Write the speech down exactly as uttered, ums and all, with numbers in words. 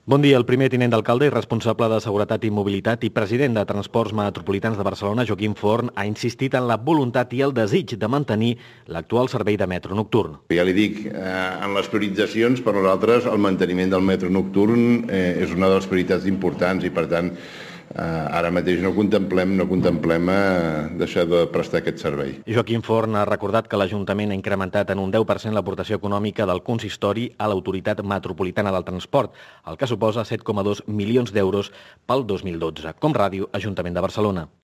Bon dia. El primer tinent d'alcalde i responsable de Seguretat i Mobilitat i president de Transports Metropolitans de Barcelona, Joaquim Forn, ha insistit en la voluntat i el desig de mantenir l'actual servei de metro nocturn. Ja li dic, eh, en les prioritzacions, per nosaltres, el manteniment del metro nocturn eh, és una de les prioritats importants i, per tant, eh, ara mateix no contemplem, no contemplem eh, deixar de prestar aquest servei. Joaquim Forn ha recordat que l'Ajuntament ha incrementat en un deu per cent l'aportació econòmica del consistori a l'Autoritat Metropolitana del Transport, el que suposa set coma dos milions d'euros pel dos mil dotze. Com Ràdio, Ajuntament de Barcelona.